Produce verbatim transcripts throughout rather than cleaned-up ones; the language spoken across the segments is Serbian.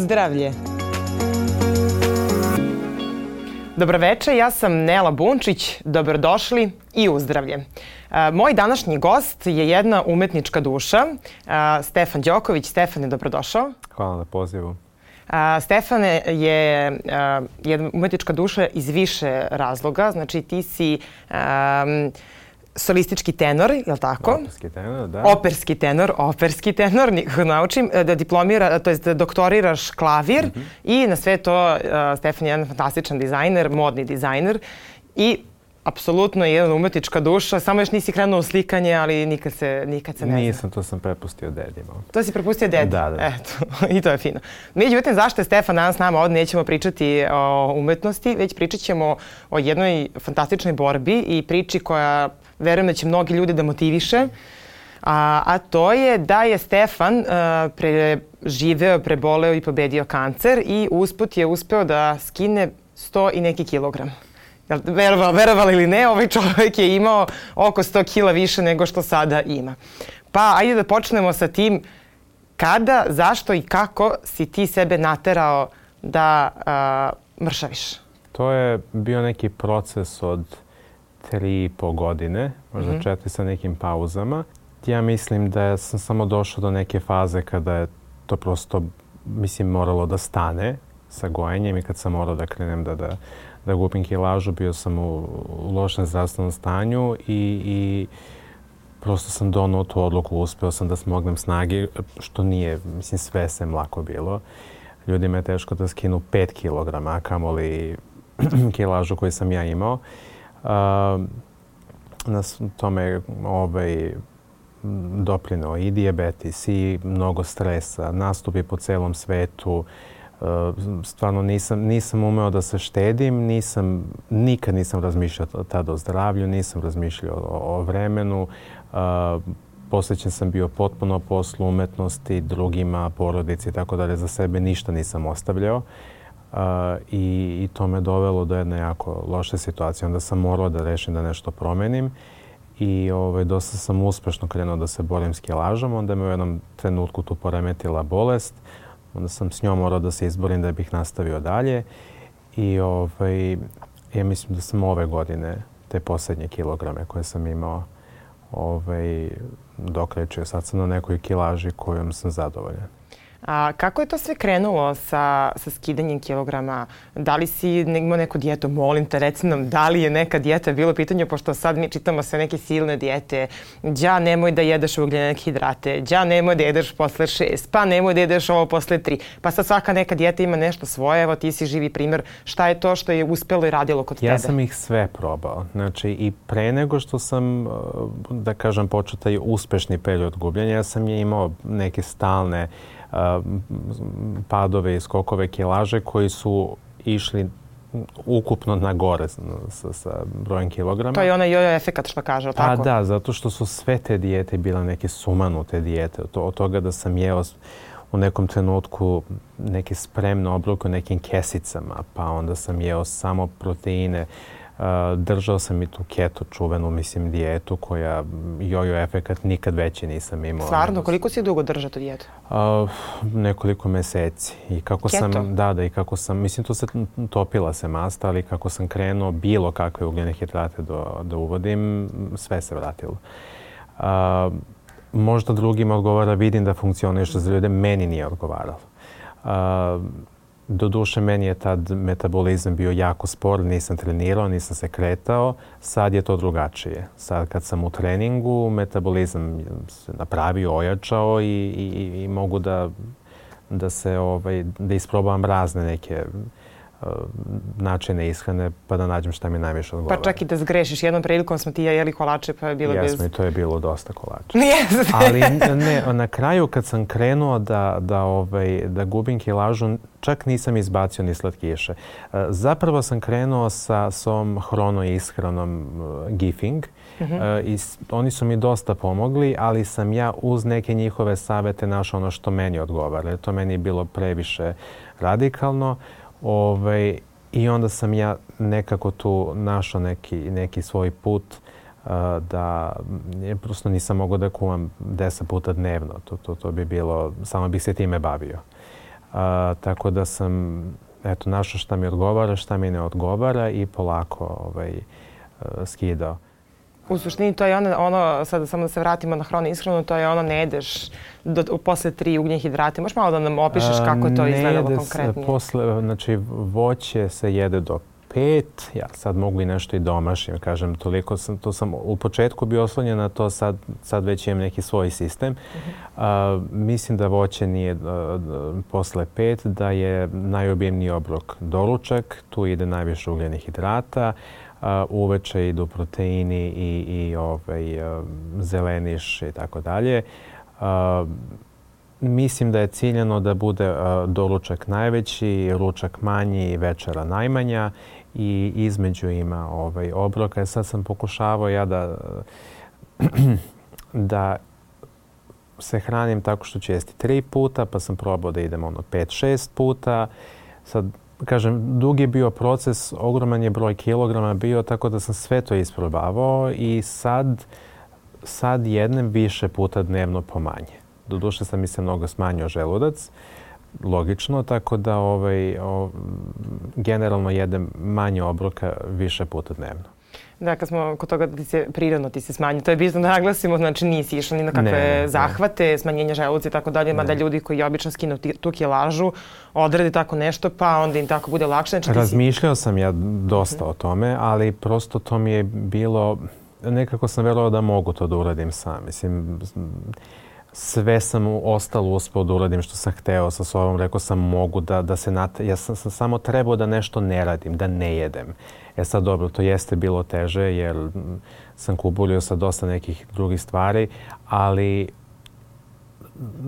Uzdravlje. Dobroveče, ja sam Nela Bunčić. Dobrodošli i uzdravlje. Moj današnji gost je jedna umetnička duša, Stefan Đoković. Stefane, dobrodošao. Hvala na pozivu. Stefane je jedna umetnička duša iz više razloga. Znači ti si um, solistički tenor, je li tako? Operski tenor, da. Operski tenor, operski tenor, nikako naučim, da diplomira, to jest da doktoriraš klavir mm-hmm. i na sve to uh, Stefan je jedan fantastičan dizajner, modni dizajner i apsolutno je jedna umetnička duša. Samo još nisi krenuo u slikanje, ali nikad se, nikad se ne zna. Nisam, to sam prepustio dedima. To si prepustio dedi? Da, da. Eto, i to je fino. Međutim, zašto je Stefan danas s nama? Ovdje nećemo pričati o umetnosti, već pričat ćemo o jednoj fantastičnoj borbi i priči koja, verujem da će mnogi ljudi da motiviše. A, a to je da je Stefan uh, preživeo, preboleo i pobedio kancer i usput je uspeo da skine sto i neki kilogram. Verovali, verovali ili ne, ovaj čovjek je imao oko sto kila više nego što sada ima. Pa ajde da počnemo sa tim kada, zašto i kako si ti sebe naterao da uh, mršaviš? To je bio neki proces od tri i po godine, možda mm-hmm. četiri sa nekim pauzama. Ja mislim da sam samo došao do neke faze kada je to prosto, mislim, moralo da stane sa gojenjem i kad sam morao da krenem da, da, da gubim kilažu, bio sam u, u lošem zdravstvenom stanju i, i prosto sam donao tu odluku, uspeo sam da smognem snage, što nije, mislim, sve sem lako bilo. Ljudima je teško da skinu pet kilograma, a kamoli kilažu koju sam ja imao. Uh, na tome ovaj, doprineo i dijabetes i mnogo stresa, nastupi po celom svetu. Uh, stvarno nisam, nisam umeo da se štedim, nisam, nikad nisam razmišljao tada o zdravlju, nisam razmišljao o, o vremenu. Uh, posvećen sam bio potpuno poslu, umetnosti, drugima, porodici i tako dalje. Za sebe ništa nisam ostavljao. Uh, i, i to me dovelo do jedne jako loše situacije. Onda sam morao da rešim da nešto promenim i ovaj, dosta sam uspešno krenuo da se borim s kilažom. Onda me u jednom trenutku tu poremetila bolest. Onda sam s njom morao da se izborim da bih nastavio dalje. I ovaj, ja mislim da sam ove godine te posljednje kilograme koje sam imao ovaj, dokrečio. Sad sam na nekoj kilaži kojom sam zadovoljan. A kako je to sve krenulo sa, sa skidanjem kilograma? Da li si imao neku dijetu? Molim te, reci nam da li je neka dijeta bilo pitanje, pošto sad mi čitamo sve neke silne dijete. Đa, nemoj da jedeš ugljene hidrate. Đa, nemoj da jedeš posle šest. Pa nemoj da jedeš ovo posle tri. Pa sad svaka neka dijeta ima nešto svoje. Evo ti si živi primjer. Šta je to što je uspjelo i radilo kod tebe? Ja sam ih sve probao. Znači i pre nego što sam, da kažem, počeo taj uspešni period gubljenja, ja sam je imao neke stalne padove i skokove kilaže koji su išli ukupno na gore sa, sa brojem kilograma. To je onaj jojo efekat što kaže, tako? A da, zato što su sve te dijete bile neke sumanute dijete. Od, od toga da sam jeo u nekom trenutku neke spremne obroke u nekim kesicama, pa onda sam jeo samo proteine. Uh, držao sam i tu keto čuvenu, mislim, dijetu koja jojo efekat nikad veći nisam imao. Stvarno? Koliko si dugo držao tu dijetu? Uh, nekoliko meseci. I kako keto? Sam, da, da, i kako sam, mislim, to se topila se masta, ali kako sam krenuo bilo kakve ugljene hidrate do, da uvodim, sve se vratilo. Uh, možda drugima odgovara, vidim da funkcioniše za ljude, meni nije odgovaralo. Uh, Doduše, meni je tad metabolizam bio jako spor, nisam trenirao, nisam se kretao. Sad je to drugačije. Sad kad sam u treningu, metabolizam se napravio, ojačao i, i, i mogu da, da, se, ovaj, da isprobavam razne neke uh, načine ishrane pa da nađem šta mi najviše odgovara. Pa čak i da zgrešiš. Jednom prilikom smo ti ja jeli kolače pa je bilo Jesmo, bez... Jesmo i to je bilo dosta kolača. Jeste. Ali ne, na kraju kad sam krenuo da, da, ovaj, da gubim kilažu, čak nisam izbacio ni slatkiše. Zapravo sam krenuo sa svom hrono ishranom uh, Gifing. Mm-hmm. Uh, i oni su mi dosta pomogli, ali sam ja uz neke njihove savete našao ono što meni odgovara. To meni je bilo previše radikalno. Ovaj, I onda sam ja nekako tu našao neki, neki svoj put uh, da je prosto nisam mogao da kuvam deset puta dnevno. To, to, to bi bilo, samo bih se time bavio. Uh, A, tako da sam eto, našao šta mi odgovara, šta mi ne odgovara i polako ovaj, skidao. U suštini to je ono, ono, sad samo da se vratimo na hranu ishranu, to je ono ne jedeš do, posle tri ugljenih hidrata. Možeš malo da nam opišeš kako je to izgledalo konkretnije? Posle, znači voće se jede do pet, ja sad mogu i nešto i domašim, kažem, toliko sam, to sam u početku bio oslonjen na to, sad, sad već imam neki svoj sistem. Uh-huh. A, mislim da voće nije a, posle pet, da je najobjemniji obrok doručak, tu ide najviše ugljenih hidrata, a, uveče idu proteini i, i ovaj, a, zeleniš i tako dalje. Mislim da je ciljano da bude a, doručak najveći, ručak manji i večera najmanja i između ima ovaj, obroka. Sad sam pokušavao ja da, da se hranim tako što ću jesti tri puta, pa sam probao da idem ono pet, šest puta. Sad, kažem, dug je bio proces, ogroman je broj kilograma bio, tako da sam sve to isprobavao i sad, sad jednem više puta dnevno pomanje. Doduše sam mi se mnogo smanjio želudac, logično, tako da ovaj, o, generalno jedem manje obroka više puta dnevno. Da, kad smo kod toga da ti se prirodno ti se smanji, to je bitno da naglasimo, znači nisi išla ni na kakve ne, zahvate, ne. Smanjenja želuca i tako dalje, mada ljudi koji obično skinu tu kilažu, odradi tako nešto, pa onda im tako bude lakše. Znači, razmišljao si... sam ja dosta uh-huh. o tome, ali prosto to mi je bilo, nekako sam verovao da mogu to da uradim sam. Mislim, sve sam ostalo uspeo da uradim što sam hteo sa sobom. Rekao sam mogu da, da se nat... Ja sam, sam samo trebao da nešto ne radim, da ne jedem. E sad dobro, to jeste bilo teže jer sam kubulio sa dosta nekih drugih stvari, ali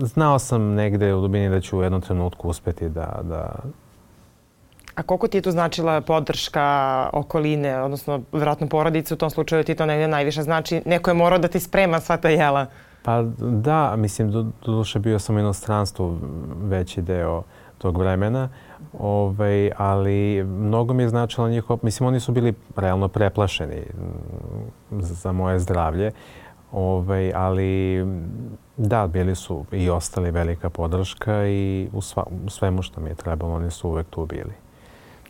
znao sam negde u dubini da ću u jednom trenutku uspeti da... da... A koliko ti je tu značila podrška okoline, odnosno vjerojatno porodice, u tom slučaju ti to negde najviše znači? Neko je morao da ti sprema sva ta jela? Pa da, mislim, do, doduše bio sam u inostranstvu veći deo tog vremena, ovaj, ali mnogo mi je značilo njihov, mislim, oni su bili realno preplašeni za moje zdravlje, ovaj, ali da, bili su i ostali velika podrška i u, sva, u svemu što mi je trebalo, oni su uvek tu bili.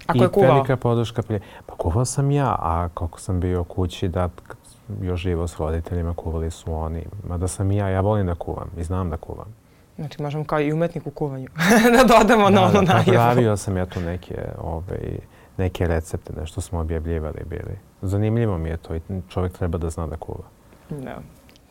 A ko je kuvao? I velika podrška, pa kuvao sam ja, a kako sam bio kući, da još živo s roditeljima, kuvali su oni. Mada sam i ja, ja volim da kuvam i znam da kuvam. Znači možemo kao i umetnik u kuvanju da dodamo na ono najavu. Da, napravio sam ja tu neke, ovaj, neke recepte, nešto smo objavljivali bili. Zanimljivo mi je to i čovjek treba da zna da kuva. Da.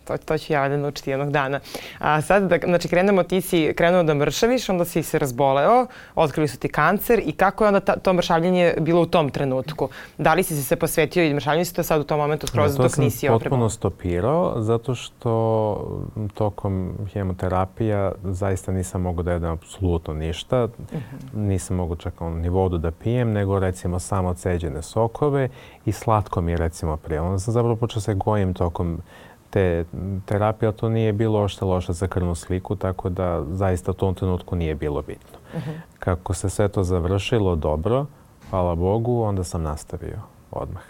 To, to ću ja da naučiti jednog dana. A sad, da, znači, krenemo, ti si krenuo da mršaviš, onda si se razboleo, otkrili su ti kancer i kako je onda ta, to mršavljenje bilo u tom trenutku? Da li si se posvetio i mršavljenju si to sad u tom momentu skroz dok nisi opremao? To sam potpuno stopirao, zato što tokom hemoterapija zaista nisam mogao da jedem apsolutno ništa. Uh-huh. Nisam mogao čak ni vodu da pijem, nego recimo samo ceđene sokove i slatko mi je recimo prije. Onda sam zapravo počeo se gojim tokom te terapija, to nije bilo ošte loše za krvnu sliku, tako da zaista u tom trenutku nije bilo bitno. Uh-huh. Kako se sve to završilo dobro, hvala Bogu, onda sam nastavio odmah.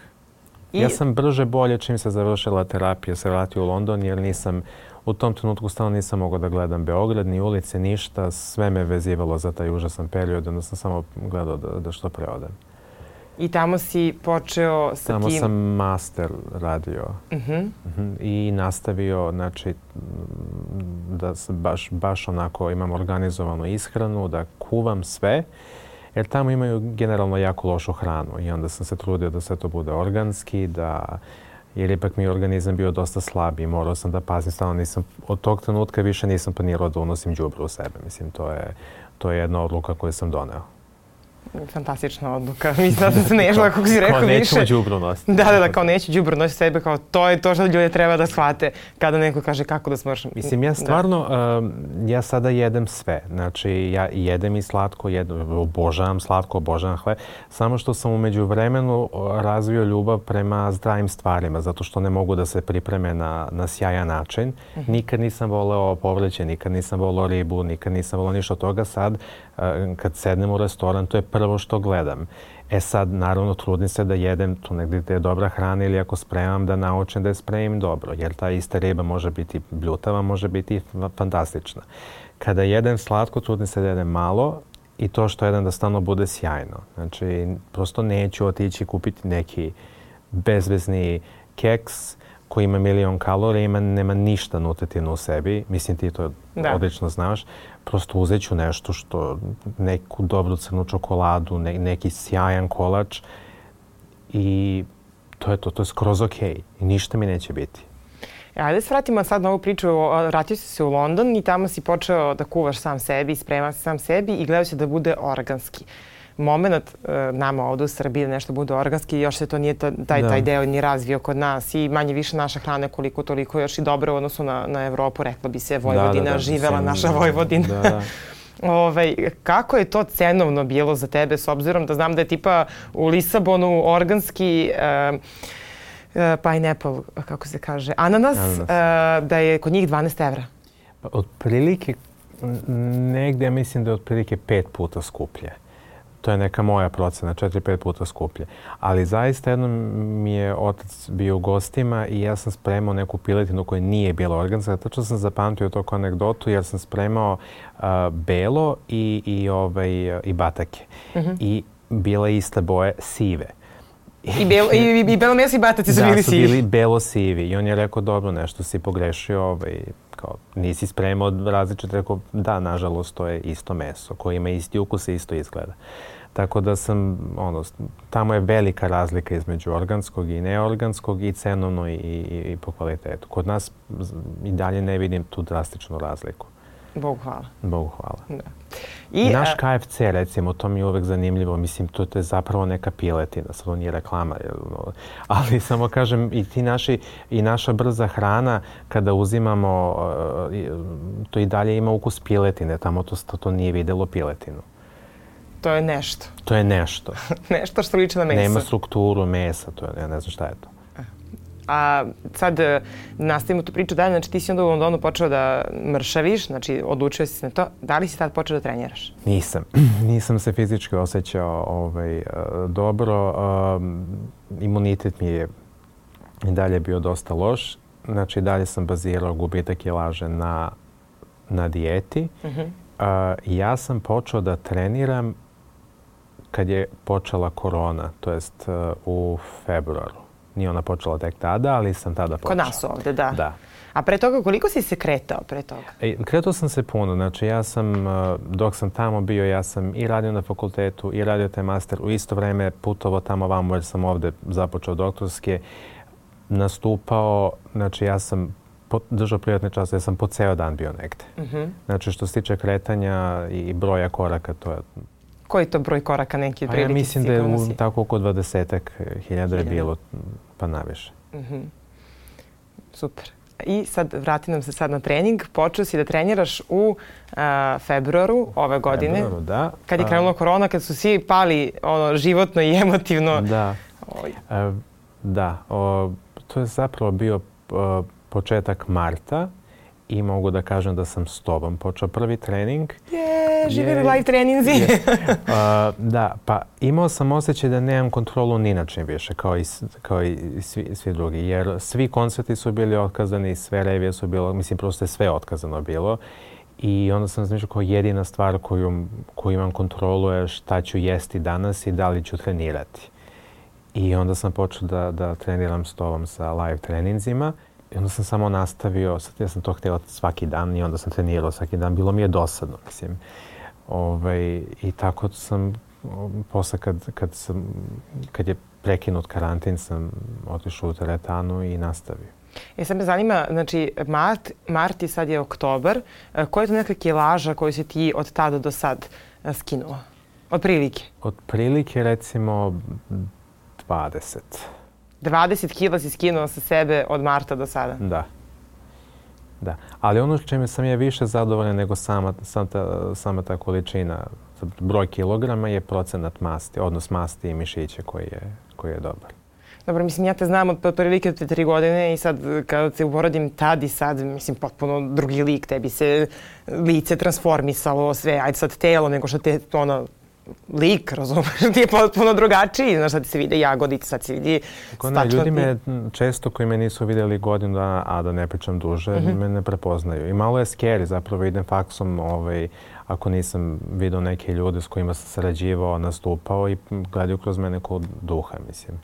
I... Ja sam brže bolje čim se završila terapija, se vratio u London jer nisam, u tom trenutku stalno nisam mogao da gledam Beograd, ni ulice, ništa, sve me vezivalo za taj užasan period, onda sam samo gledao da, da što pre odem. I tamo si počeo sa tamo tim... Tamo sam master radio uh-huh. uh-huh. i nastavio, znači, da baš, baš onako imam organizovanu ishranu, da kuvam sve, jer tamo imaju generalno jako lošu hranu i onda sam se trudio da sve to bude organski, da, jer ipak mi je organizam bio dosta slab i morao sam da pazim, stalno nisam, od tog trenutka više nisam planirao da unosim đubre u sebe. Mislim, to je, to je jedna odluka koju sam doneo. Fantastična odluka. Mislim da se ne išla, kako si rekao, više. Kao nećemo đubro nositi. Da, da, da, kao neću đubro nositi sebe, kao to je to što ljudi treba da shvate kada neko kaže kako da smršam. Mislim, ja stvarno, um, ja sada jedem sve. Znači, ja jedem i slatko, jedem, obožavam slatko, obožavam hleb. Samo što sam umeđu vremenu razvio ljubav prema zdravim stvarima, zato što ne mogu da se pripreme na, na sjajan način. Uh-huh. Nikad nisam voleo povrće, nikad nisam voleo ribu, nikad nisam voleo ništa od toga. Sad, uh, kad sednem u restoran, to je prvo što gledam. E sad, naravno, trudim se da jedem tu negdje gdje je dobra hrana ili ako spremam da naučim da je spremim dobro. Jer ta ista riba može biti bljutava, može biti fantastična. Kada jedem slatko, trudim se da jedem malo i to što jedan da stalno bude sjajno. Znači, prosto neću otići kupiti neki bezvezni keks koji ima milion kalorija, ima, nema ništa nutritivno u sebi. Mislim, ti to da. odlično znaš. Prosto uzet ću nešto što, neku dobru crnu čokoladu, ne, neki sjajan kolač i to je to, to je skroz okej. I ništa mi neće biti. Ajde se vratimo sad na ovu priču. Vratio si se u London i tamo si počeo da kuvaš sam sebi, spremaš se sam sebi i gledao si da bude organski. Moment e, nama ovdje u Srbiji da nešto bude organski, još se to nije taj, taj deo ni razvio kod nas i manje više naša hrana je koliko toliko još i dobro u odnosu na, na Evropu, rekla bi se Vojvodina, da, da, da, živela sem, naša Vojvodina. Da, da. Ovaj, kako je to cenovno bilo za tebe s obzirom da znam da je tipa u Lisabonu organski e, e, pineapple, kako se kaže, ananas, ananas. E, da je kod njih dvanaest evra? Pa, otprilike, negdje mislim da je otprilike pet puta skuplje. To je neka moja procena, četiri, pet puta skuplje. Ali zaista jednom mi je otac bio u gostima i ja sam spremao neku piletinu koja nije bila organska. Tačno sam zapamtio to kao anegdotu jer sam spremao uh, belo i, i, ovaj, i batake. Mm-hmm. I bila iste boje sive. I, belo, i, i belo meso i bataci su da, bili sivi. Da, su bili belo-sivi. I on je rekao, dobro, nešto si pogrešio, ovaj, kao, nisi spremao različite. Rekao, da, nažalost, to je isto meso koje ima isti ukus i isto izgleda. Tako da sam, ono, tamo je velika razlika između organskog i neorganskog i cenovno i, i, i po kvalitetu. Kod nas i dalje ne vidim tu drastičnu razliku. Bogu hvala. Bogu hvala. Da. I naš K F C, recimo, to mi je uvek zanimljivo. Mislim, to je zapravo neka piletina, sad on je reklama. Ali samo kažem, i ti naši, i naša brza hrana, kada uzimamo, to i dalje ima ukus piletine. Tamo to, to nije videlo piletinu. To je nešto. To je nešto. Nešto što liči na meso. Nema strukturu mesa, to je, ja ne znam šta je to. A sad nastavimo tu priču dalje, znači ti si onda u Londonu počeo da mršaviš, znači odlučio si se na to. Da li si tad počeo da treniraš? Nisam. Nisam se fizički osjećao ovaj, dobro. Um, imunitet mi je i dalje bio dosta loš. Znači dalje sam bazirao gubitak kilaže na, na dijeti. Uh-huh. Uh, ja sam počeo da treniram kad je počela korona, to jest uh, u februaru. Nije ona počela tek tada, ali sam tada počeo. Kod nas ovdje, da. Da. A pre toga, koliko si se kretao pre toga? E, kretao sam se puno. Znači, ja sam, dok sam tamo bio, ja sam i radio na fakultetu, i radio taj master. U isto vreme putovao tamo vamo, jer sam ovdje započeo doktorske. Nastupao, znači, ja sam držao privatne čase, ja sam po ceo dan bio negde. Mm-hmm. Znači, što se tiče kretanja i broja koraka, to je... Koji to broj koraka neki pa prilike? Ja mislim da je u, tako oko dvadesetak hiljada je bilo, pa naviše. Mm-hmm. Super. I sad vrati nam se sad na trening. Počeo si da treniraš u a, februaru ove godine. Februaru, da. Kad je krenula korona, kad su svi pali ono, životno i emotivno. Da. E, da. O, to je zapravo bio o, početak marta. I mogu da kažem da sam s tobom počeo prvi trening. Je, živi live treninzi. uh, da, pa imao sam osjećaj da nemam kontrolu ni na čim više, kao i, kao i svi, svi drugi. Jer svi koncerti su bili otkazani, sve revije su bilo, mislim, prosto je sve otkazano bilo. I onda sam razmišljao kao jedina stvar koju, koju imam kontrolu je šta ću jesti danas i da li ću trenirati. I onda sam počeo da, da treniram s tobom sa live treninzima. I onda sam samo nastavio, sad ja sam to htjela svaki dan i onda sam trenirao svaki dan. Bilo mi je dosadno, mislim. Ovaj, I tako sam, posle kad, kad, sam, kad je prekinut karantin, sam otišao u teretanu i nastavio. E sad me zanima, znači, mart, mart i sad je oktobar. Koja je to neka kilaža koju si ti od tada do sad skinuo? Od prilike? Od prilike, recimo, dvadeset. dvadeset kila si skinuo sa sebe od marta do sada? Da. Da. Ali ono čime sam je više zadovoljan nego sama, sama, ta, sama ta količina, broj kilograma je procenat masti, odnos masti i mišića koji je, koji je dobar. Dobro, mislim, ja te znam od prilike od tri godine i sad kada se uporedim tad i sad, mislim, potpuno drugi lik, tebi se lice transformisalo, sve, ajde sad telo, nego što te, ono, lik, razumeš, ti je potpuno drugačiji. Znaš, sad se vide jagodice, sad se vidi stačlati. Ljudi me često koji me nisu vidjeli godinu dana, a da ne pričam duže, mm-hmm. me ne prepoznaju. I malo je scary, zapravo idem faksom, ovaj, ako nisam vidio neke ljude s kojima sam sarađivao, nastupao i gledaju kroz mene kod duha, mislim.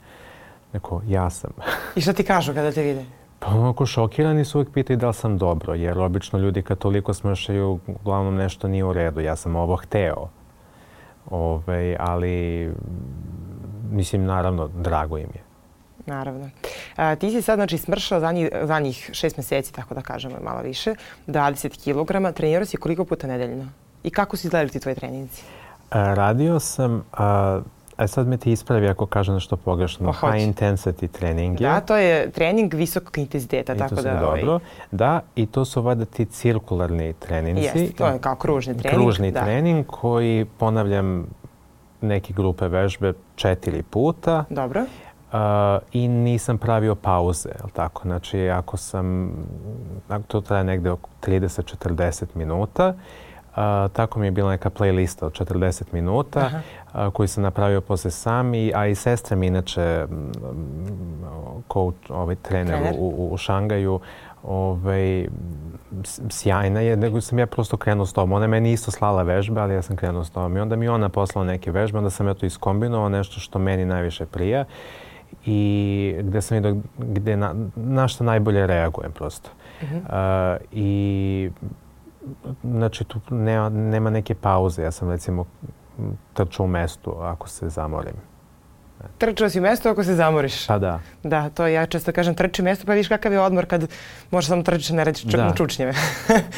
Neko, ja sam. I šta ti kažu kada te vide? Pa onako šokirani su uvijek pitaju da li sam dobro, jer obično ljudi kad toliko smršaju, uglavnom nešto nije u redu. Ja sam ovo hteo. Ove, ali, mislim, naravno, drago im je. Naravno. A, ti si sad, znači, smršao zadnjih, zadnjih šest mjeseci, tako da kažemo, malo više, dvadeset kilograma. Trenirao si koliko puta nedeljno? I kako su izgledali ti tvoji treninzi? A, radio sam... A, A sad me ti ispravi ako kažem nešto pogrešno. Oh, high intensity trening je. Da, to je trening visokog intenziteta. I tako to da, dobro. Ovaj... Da, i to su valjda ti cirkularni treninzi. Jeste, to je kao kružni trening. Kružni da. trening koji ponavljam neke grupe vežbe četiri puta. Dobro. Uh, I nisam pravio pauze, jel tako? Znači, ako sam, ako to traje negde oko trideset do četrdeset minuta, Uh, tako mi je bila neka playlista od četrdeset minuta uh, koju sam napravio posle sam, i, a i sestra mi inače coach, ovaj, trener, trener. U, u Šangaju, ovaj, sjajna je, nego sam ja prosto krenuo s tom. Ona je meni isto slala vežbe, ali ja sam krenuo s tom. I onda mi ona poslala neke vežbe, onda sam ja to iskombinovao, nešto što meni najviše prija i gde sam vidio gde na, na što najbolje reagujem prosto. Uh-huh. Uh, I znači, tu nema, nema neke pauze. Ja sam, recimo, trčao u mestu ako se zamorim. Trčao si u mestu ako se zamoriš? Pa da. Da, to ja često kažem, trči mesto, pa vidiš kakav je odmor kad možeš samo trčiš, ne radiš čak na čučnjeve.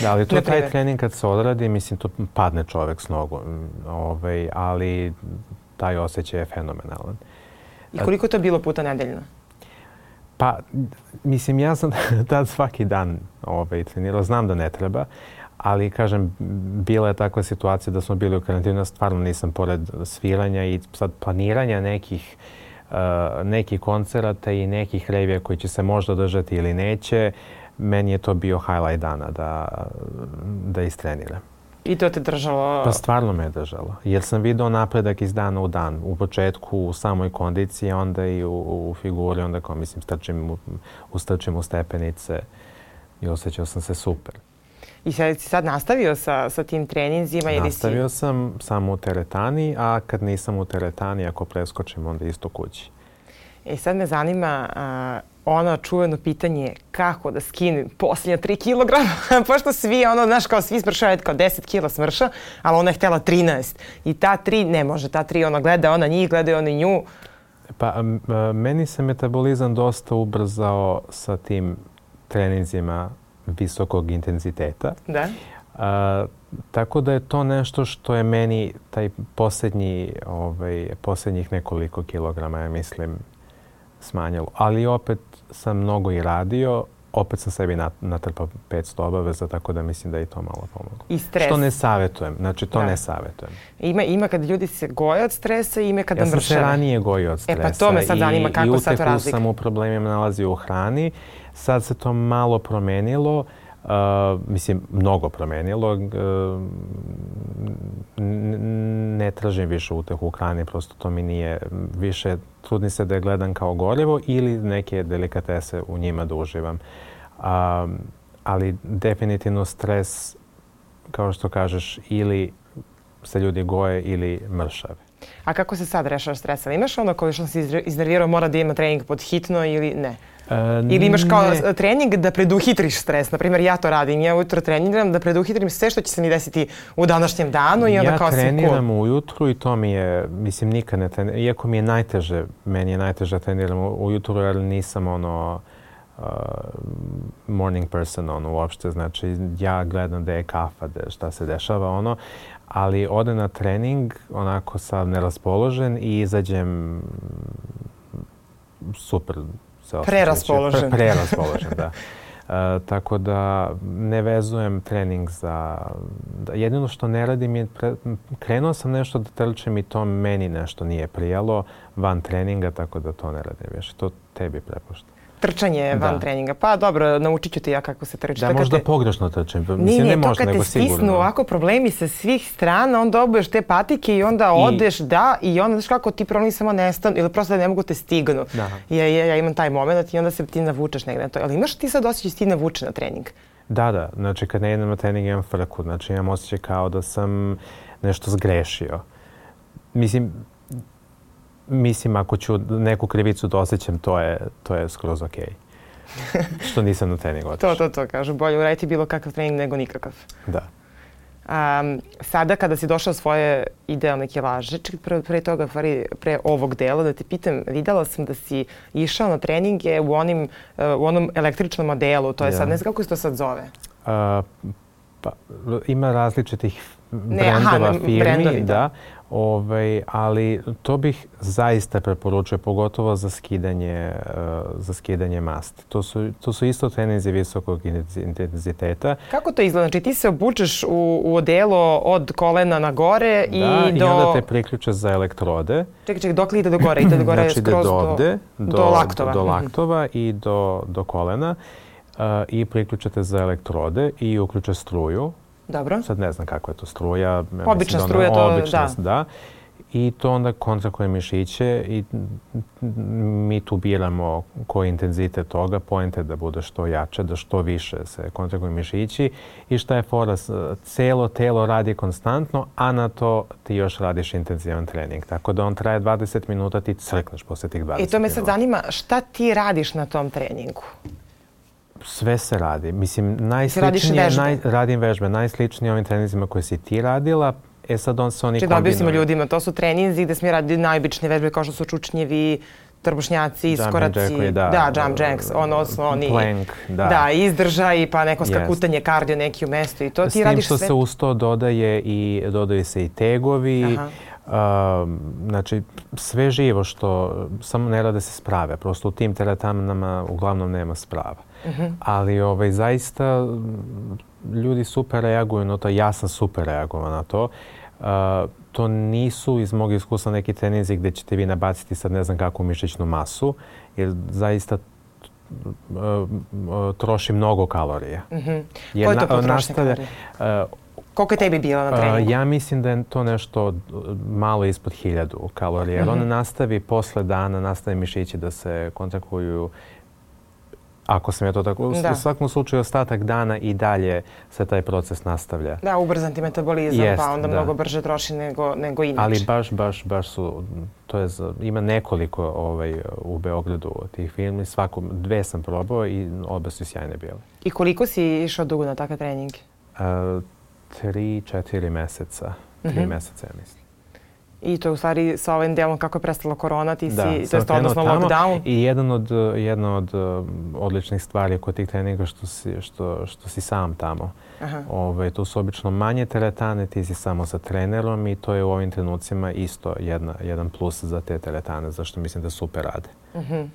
Da, ali to je taj trening kad se odradi, mislim, to padne čovek s nogu. Ovaj, ali taj osjećaj je fenomenalan. I koliko je to bilo puta nedeljno? Pa, mislim, ja sam tad svaki dan ovaj, trenirao. Znam da ne treba. Ali, kažem, bila je takva situacija da smo bili u karantinu, stvarno nisam pored sviranja i sad planiranja nekih, uh, nekih koncerata i nekih revija koji će se možda održati ili neće. Meni je to bio highlight dana da, da istreniram. I to te držalo? Pa stvarno me je držalo. Jer sam vidio napredak iz dana u dan. U početku u samoj kondiciji, onda i u, u figuri, onda kao mislim strčim u, ustrčim u stepenice i osjećao sam se super. I sad si sad nastavio sa, sa tim treninzima? Ili nastavio si... sam samo u teretani, a kad nisam u teretani, ako preskočim, onda isto kući. E sad me zanima a, ono čuveno pitanje kako da skinem posljednja tri kilograma. Pošto svi, ono, znaš, kao svi smršaju, kao deset kila smrša, ali ona je htjela trinaest. I ta tri ne može, ta tri ona gleda, ona njih, gleda ona nju. Pa m, meni se metabolizam dosta ubrzao sa tim treninzima visokog intenziteta. Da. A, tako da je to nešto što je meni taj posljednji, ovaj, posljednjih nekoliko kilograma, ja mislim, smanjilo. Ali opet sam mnogo i radio, opet sam sebi natrpao petsto obaveza, tako da mislim da je i to malo pomoglo. I stres. Što ne savjetujem, znači to da. ne savjetujem. Ima, ima kad ljudi se goje od stresa i ima kada mršave. Ja sam se ranije gojio od stresa. E pa to me sad zanima, kako sad to razlika. I utehu sam u problemima nalazio u hrani. Sad se to malo promenilo. Uh, mislim, mnogo promenilo. Uh, ne tražim više utehu u hrani, prosto to mi nije više. Trudim se da je gledam kao gorivo ili neke delikatese u njima da uživam. Uh, ali definitivno stres, kao što kažeš, ili se ljudi goje ili mršave. A kako se sad rešavaš stresa? Imaš ono koji što si iznervirao mora da ima trening pod hitno ili ne? E, ili imaš kao ne. trening da preduhitriš stres? Naprimjer, ja to radim. Ja ujutro treniram da preduhitrim sve što će se mi desiti u današnjem danu i onda ja kao sam cool. Ja treniram ujutru i to mi je, mislim, nikad ne treniram. Iako mi je najteže, meni je najteže treniram ujutru jer nisam ono uh, morning person ono uopšte. Znači, ja gledam da je kafa, da šta se dešava ono. Ali ode na trening, onako sam neraspoložen i izađem super se osjećam. Preraspoložen. Pre, preraspoložen, da. E, tako da ne vezujem trening za... Da, jedino što ne radim je... Pre, krenuo sam nešto da trčem i to meni nešto nije prijalo van treninga, tako da to ne radim više. To tebi prepuštam. trčanje van da. treninga. Pa dobro, naučit ću ti ja kako se trči. Da, možda te... pogrešno trčanje. Mislim, nije, nije, ne to možda, kad te stisnu sigurno. ovako problemi sa svih strana, onda obuješ te patike i onda I... odeš, da, i onda, znaš kako, ti problemi samo nestanu ili prosto da ne mogu te stignu. Da. Ja, ja, ja imam taj moment i onda se ti navučeš negde na to. Ali imaš ti sad osjećaj ti navuče na trening? Da, da. Znači, kad ne idem na trening imam frku. Znači, imam osjećaj kao da sam nešto zgrešio. Mislim, mislim ako ću neku krivicu da osjećam, to je, to je skroz okej. Okay. Što nisam na trening otišao. to, to, to, kažu. Bolje uraditi bilo kakav trening nego nikakav. Da. Um, sada kada si došao svoje idealne kilaže, čekaj pre, pre toga, pre ovog dela, da te pitam, videla sam da si išao na treninge u, onim, uh, u onom električnom modelu, to je ja. sad, ne znam kako se to sad zove? Uh, pa, ima različitih brendova, firmi, brendovi, da. da. Ovaj, ali to bih zaista preporučio, pogotovo za skidanje, uh, za skidanje masti. To su, to su isto treninzi visokog intenziteta. Kako to izgleda? Znači ti se obučeš u, u odelo od kolena na gore i da, do... i onda te priključe za elektrode. Čekaj, čekaj, dok li ide do gore? Ide do gore znači, skroz do, ovde, do, do, do laktova. Do, do laktova mm-hmm. i do, do kolena. Uh, I priključete za elektrode i uključe struju. Dobro. Sad ne znam kakva je to struja. Ja obična struja, to obična, da. da. I to onda kontrakuje mišiće i mi tu biramo koji intenzitet toga. Poenta je da bude što jače, da što više se kontrakuje mišići. I šta je fora? Celo telo radi konstantno, a na to ti još radiš intenzivan trening. Tako da on traje dvadeset minuta, ti crkneš posle tih dvadeset minuta. I to me sad zanima, šta ti radiš na tom treningu? Sve se radi. Mislim, najsličnije, naj, radim vežbe, najsličnije ovim treninzima koje si ti radila. E sad on se oni kombinuju. Či da objasnimo ljudima, to su treninzi gde smo radili najobičnije vežbe kao što su čučnjevi, trbušnjaci, iskoraci, da, da, jump jacks, ono osnovni, plank, da. da, izdržaj, pa neko skakutanje, yes. kardio neki u mestu i to ti radiš sve. S tim što se uz to dodaje i, dodaju se i tegovi, uh, znači sve živo što, samo ne rade se sprave, prosto u tim teretanama uglavnom nema sprava. Uh-huh. Ali ovaj, zaista ljudi super reaguju na to, ja sam super reagovao na to. Uh, to nisu iz mog iskustva neki treninzi gdje ćete vi nabaciti sad ne znam kakvu mišićnu masu, jer zaista uh, uh, troši mnogo kalorija. Uh-huh. Koje je to potrošnje kalorije? Uh, Koliko je tebi bilo na treningu? Uh, ja mislim da je to nešto malo ispod hiljadu kalorija. Jer uh-huh. on nastavi posle dana, nastavi mišići da se kontaktuju. Ako sam ja to tako, da. U svakom slučaju ostatak dana i dalje se taj proces nastavlja. Da, ubrzan ti metabolizam, Jest, pa onda da. mnogo brže troši nego, nego inače. Ali baš, baš, baš su, to je, ima nekoliko ovaj, u Beogradu tih filmi, svako, dve sam probao i obe su sjajne bile. I koliko si išao dugo na takve treninge? Uh, tri, četiri meseca, tri mm-hmm. meseca ja mislim. I to u stvari sa ovim delom kako je prestala korona, ti da, si, to je odnosno lockdown. I jedan od, jedna od uh, odličnih stvari kod tih treninga što si, što, što si sam tamo. Ove, to su obično manje teretane, ti si samo sa trenerom i to je u ovim trenucima isto jedna, jedan plus za te teretane, zašto mislim da super rade. Uh-huh.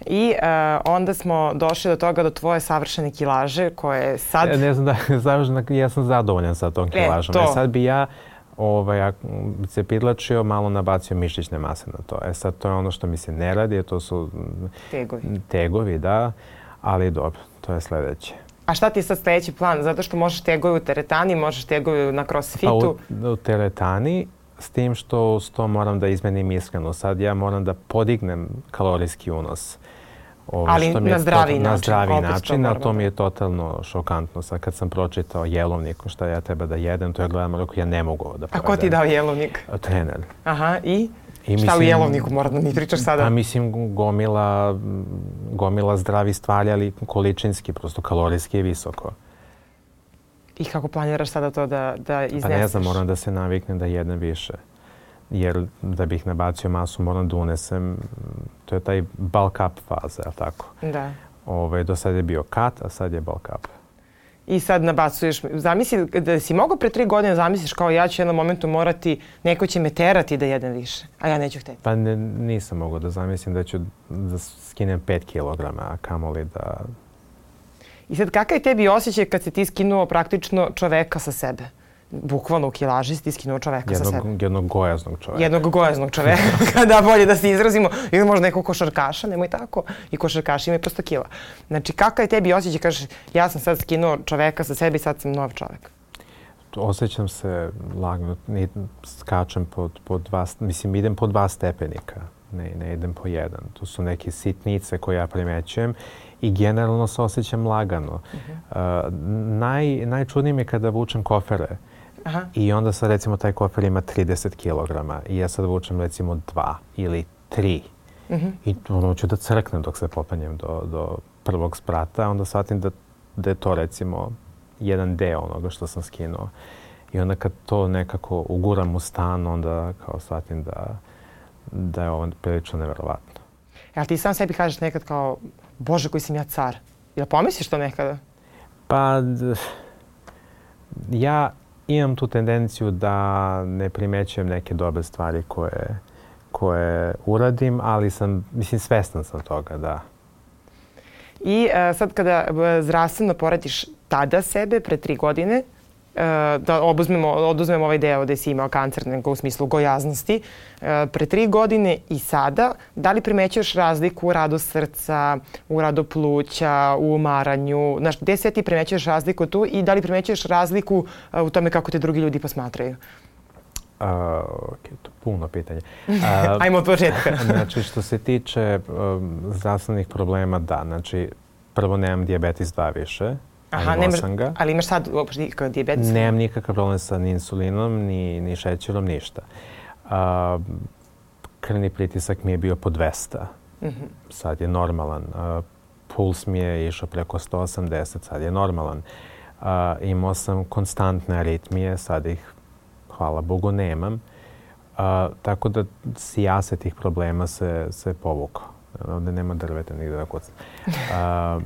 I uh, onda smo došli do toga do tvoje savršene kilaže koje sad... Ja, ne znam da završena, ja sam zadovoljan sa tom kilažom. E, to. E, sad bi ja ovaj, se pidlačio, malo nabacio mišićne mase na to. E sad to je ono što mi se ne radi, to su tegovi, tegovi da, ali dobro, to je sljedeće. A šta ti je sad sljedeći plan? Zato što možeš tegovi u teretani, možeš tegovi na crossfitu? Pa u, u teretani, s tim što uz to moram da izmenim ishranu. Sad ja moram da podignem kalorijski unos. Ovo, ali što mi na zdravi način. Na zdravi način, a to mi je totalno šokantno. Sad kad sam pročitao jelovnik, šta ja treba da jedem, to ja gledam, rekao, ja ne mogu ovo da povedem. A ko ti dao jelovnik? Trener. Aha, i? I šta mislim, u jelovniku mora da mi pričaš sada? Pa mislim gomila, gomila zdravi stvari, ali količinski, prosto kalorijski je visoko. I kako planiraš sada to da, da izneseš? Pa ne znam, moram da se naviknem da jedem više. Jer da bih nabacio masu moram da unesem, to je taj bulk up faza, je tako? Da. Ove, do sad je bio cut, a sad je bulk up. I sad nabacuješ, zamisli da si mogao pre tri godine zamisliš kao ja ću u jednom momentu morati, neko će me terati da jedem više, a ja neću hteti. Pa ne, nisam mogao da zamislim da ću da skinem pet kilograma, a kamoli da... I sad kakav je tebi osjećaj kad si ti skinuo praktično čoveka sa sebe? bukvalno u kilažisti skinuo čoveka jednog, sa sebe. Jednog gojaznog čoveka. Jednog gojaznog čoveka, da bolje da se izrazimo. Ili možda nekog košarkaša, nemoj tako. I košarkaši imaju prosto kila. Znači, kakav je tebi osjećaj, kažeš, ja sam sad skinuo čoveka sa sebe i sad sam nov čovek? Osjećam se lagno, skačem po, po dva, mislim, idem po dva stepenika, ne, ne idem po jedan. To su neke sitnice koje ja primećujem i generalno se osjećam lagano. Uh-huh. Uh, naj, najčudnije mi je kada vučem kofere. Aha. I onda sad recimo taj kofer ima trideset kilograma i ja sad vučem recimo dva ili tri. Uh-huh. I ono ću da crknem dok se popenjem do, do prvog sprata, onda shvatim da, da je to recimo jedan deo onoga što sam skinuo. I onda kad to nekako uguram u stan, onda kao shvatim da, da je ovo prilično neverovatno. Jel ti sam sebi kažeš nekad kao, Bože, koji sam ja car? Jel pomisliš to nekada? Pa, d- ja imam tu tendenciju da ne primećujem neke dobre stvari koje, koje uradim, ali sam, mislim, svestan sam toga, da. I uh, sad kada zdravstveno poradiš tada sebe, pre tri godine, uh, da obuzmemo, oduzmemo ovaj deo gde si imao kancer, nego u smislu gojaznosti, uh, pre tri godine i sada, da li primećuješ razliku u radu srca, u radu pluća, u umaranju? Znaš, gde sve ti primećuješ razliku tu i da li primećuješ razliku uh, u tome kako te drugi ljudi posmatraju? Uh, okay, to je puno pitanje. Uh, Ajmo od početka. Znači, što se tiče um, zdravstvenih problema, da. Znači, prvo nemam dijabetes dva više. Aha, nemaš, ali imaš sad uopšte dijabetes? Nemam nikakav problem sa ni insulinom, ni, ni šećerom, ništa. Uh, krvni pritisak mi je bio po dvesta. Mm-hmm. Sad je normalan. Uh, puls mi je išao preko sto osamdeset, sad je normalan. Uh, imao sam konstantne aritmije, sad ih hvala Bogu, nemam. Uh, tako da sijase tih problema se, se povukao. Ovdje nema drveta nigde da kucam. Uh,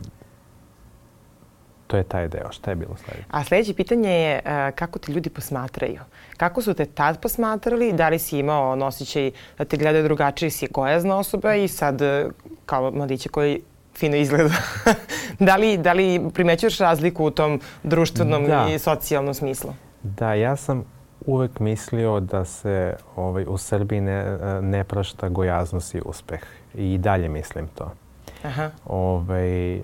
to je taj deo. Šta je bilo sljedeće? A sljedeće pitanje je uh, kako te ljudi posmatraju? Kako su te tad posmatrali? Da li si imao osjećaj da te gledaju drugačije, si gojazna osoba i sad kao mladiće koji fino izgleda. da, li, da li primećuješ razliku u tom društvenom da. i socijalnom smislu? Da, ja sam uvek mislio da se ovaj, u Srbiji ne, ne prašta gojaznost i uspeh. I dalje mislim to. Aha. Ovaj, uh,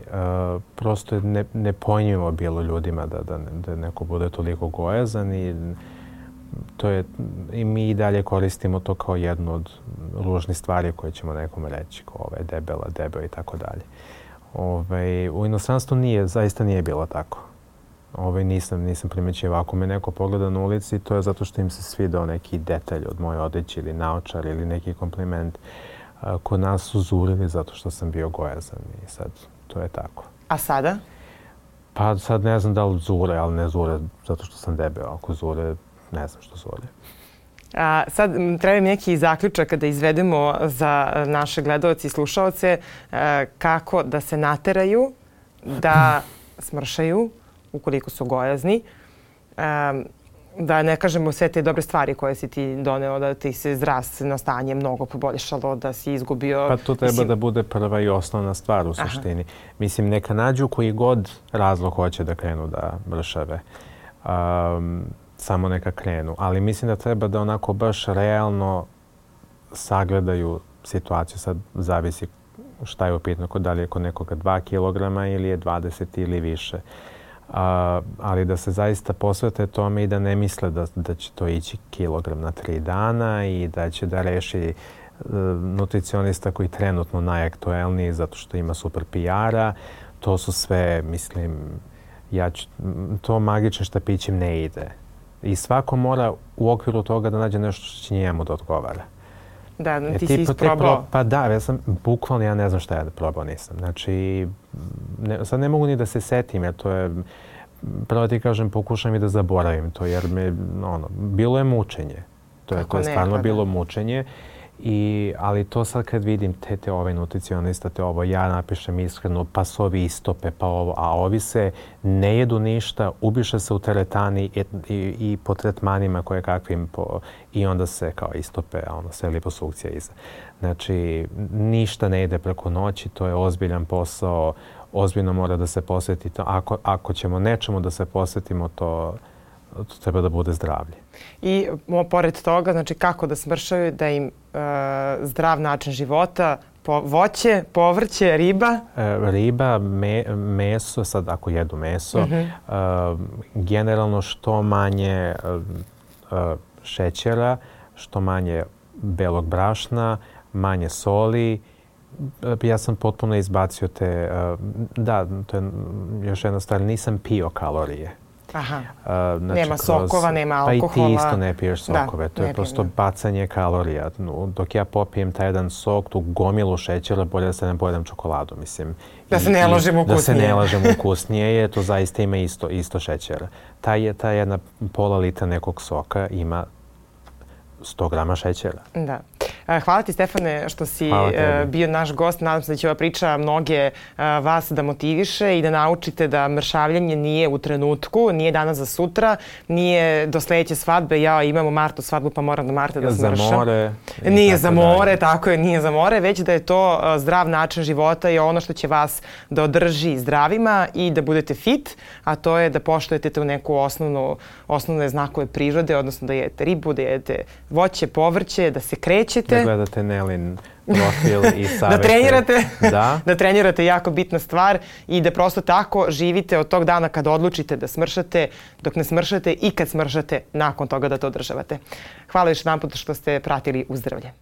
prosto je ne, nepojmljivo bilo ljudima da, da, da neko bude toliko gojazan i, to je, i mi i dalje koristimo to kao jednu od ružnih stvari koje ćemo nekome reći, kao ovaj, debela, debel i tako dalje. Ovaj, u inostranstvu nije, zaista nije bilo tako. Ovaj, nisam, nisam primećivao. Ako me neko pogleda na ulici, to je zato što im se svidao neki detalj od moje odeće ili naočar ili neki kompliment. Kod nas su zurili zato što sam bio gojazan i sad to je tako. A sada? Pa sad ne znam da li zure, ali ne zure zato što sam debel. Ako zure, ne znam što zure. A, sad treba mi neki zaključak kada izvedemo za naše gledaoce i slušaoce a, kako da se nateraju da smršaju ukoliko su gojazni. A, da ne kažemo sve te dobre stvari koje si ti doneo, da ti se zdravstveno stanje mnogo poboljšalo, da si izgubio... Pa to treba mislim... da bude prva i osnovna stvar u suštini. Aha. Mislim, neka nađu koji god razlog hoće da krenu da mršave. Um, samo neka krenu. Ali mislim da treba da onako baš realno sagledaju situaciju. Sad zavisi šta je upitno, da li je kod nekoga dva kilograma ili je dvadeset ili više. Uh, ali da se zaista posvete tome i da ne misle da, da će to ići kilogram na tri dana i da će da reši uh, nutricionista koji je trenutno najaktuelniji zato što ima super P R-a. To su sve, mislim, ja ću, to magičnim štapićem ne ide. I svako mora u okviru toga da nađe nešto što će njemu da odgovara. Da, ti e, si isprobao. Pro, pa da, ja sam, bukvalno ja ne znam šta ja da probao nisam. Znači, ne, sad ne mogu ni da se setim, jer to je, pravo ti kažem, pokušam i da zaboravim to, jer me, ono, bilo je mučenje. To je, to je stvarno ne, bilo mučenje. I, ali to sad kad vidim te, te ove nutricionista, te ovo, ja napišem iskreno, pa su ovi istope, pa ovo, a ovi se ne jedu ništa, ubiše se u teretani i, i, i po tretmanima koje kakvim, po, i onda se kao istope, ono, sve liposukcija iza. Znači, ništa ne ide preko noći, to je ozbiljan posao, ozbiljno mora da se posveti to. Ako, ako ćemo nečemu da se posvetimo, to to treba da bude zdravlje. I mo, pored toga, znači kako da smršaju, da im e, zdrav način života, po, voće, povrće, riba? E, riba, me, meso, sad ako jedu meso, mm-hmm. e, generalno što manje e, e, šećera, što manje belog brašna, manje soli. Ja sam potpuno izbacio te, da, to je još jedna stvar, nisam pio kalorije. Aha, uh, znači, nema sokova, kroz, nema alkohola. Pa i ti isto ne piješ sokove, da, to je prosto bacanje kalorija. Dok ja popijem taj jedan sok, tu gomilu šećera, bolje da se ne pojedem čokoladu, mislim. Da se ne lažemo ukusnije. Da se ne lažemo ukusnije, je, to zaista ima isto, isto šećera. Ta, je, ta jedna pola litra nekog soka ima sto grama šećera. Da. Hvala ti, Stefane, što si bio naš gost. Nadam se da će ova priča mnoge vas da motiviše i da naučite da mršavljanje nije u trenutku, nije danas za sutra, nije do sledeće svadbe. Ja imam u martu svadbu pa moram do marta da smršam. Za more. Nije za more, tako je, nije za more, već da je to zdrav način života i ono što će vas da održi zdravima i da budete fit, a to je da poštujete tu neku osnovnu, osnovne znakove prirode, odnosno da jedete ribu, da jedete voće, povrće, da se krećete. Da gledate Nelin profil i savete. Da trenirate. Da. Da trenirate, jako bitna stvar i da prosto tako živite od tog dana kad odlučite da smršate, dok ne smršate i kad smršate nakon toga da to održavate. Hvala još jedan put što ste pratili Uzdravlje.